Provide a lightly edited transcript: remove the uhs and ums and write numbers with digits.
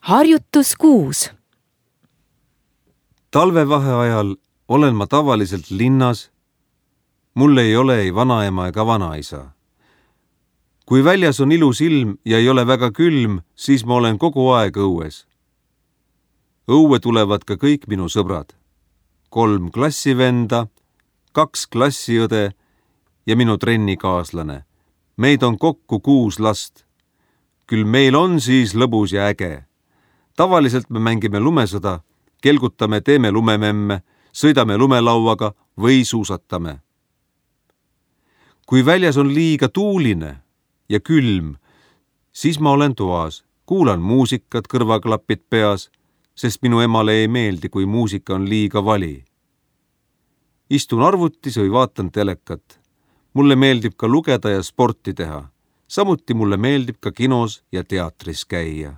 Harjutus 6. Talvevaheajal olen ma tavaliselt linnas. Mul ei ole ei vanaema ega vanaisa. Kui väljas on ilus ilm ja ei ole väga külm, siis ma olen kogu aeg õues. Õue tulevad ka kõik minu sõbrad. 3 klassivenda, 2 klassiõde ja minu trennikaaslane. Meid on kokku 6 last. Küll meil on siis lõbus ja äge. Tavaliselt me mängime lumesõda, kelgutame, teeme lumememme, sõidame lumelauaga või suusatame. Kui väljas on liiga tuuline ja külm, siis ma olen toas, kuulan muusikat, kõrvaklapid peas, sest minu emale ei meeldi, kui muusika on liiga vali. Istun arvutis või vaatan telekat. Mulle meeldib ka lugeda ja sporti teha. Samuti mulle meeldib ka kinos ja teatris käia.